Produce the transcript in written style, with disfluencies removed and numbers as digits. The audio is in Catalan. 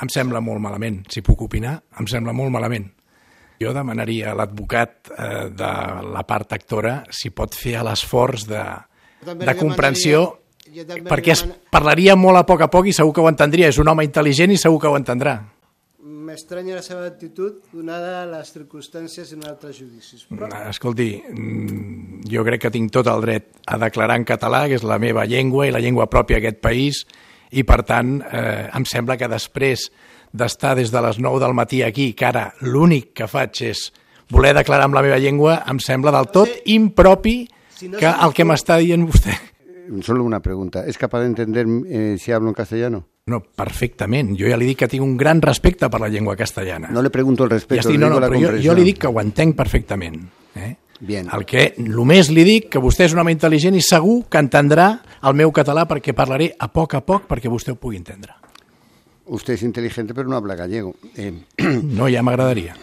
em sembla molt malament. Si puc opinar, em sembla molt malament. Jo demanaria a l'advocat de la part actora si pot fer l'esforç de comprensió, perquè es parlaria molt a poc i segur que ho entendria. És un home intel·ligent i segur que ho entendrà. M'estranya la seva actitud donada les circumstàncies en altres judicis. Escolti, jo crec que tinc tot el dret a declarar en català, que és la meva llengua i la llengua pròpia d'aquest país, i per tant em sembla que després d'estar des de les 9 del matí aquí, que ara l'únic que faig és voler declarar en la meva llengua, em sembla del tot impropi que el que m'està dient vostè. Solo una pregunta. ¿Es capaz de entender si hablo en castellano? No, perfectament. Jo ja li dic que tinc un gran respecte per la llengua castellana. No le pregunto el respeto, le digo la comprensió. Jo li dic que ho entenc perfectament. Bien. Només li dic que vostè és un home intel·ligent i segur que entendrà el meu català perquè parlaré a poc perquè vostè ho pugui entendre. Usted es inteligente pero no habla gallego. No, ja m'agradaria.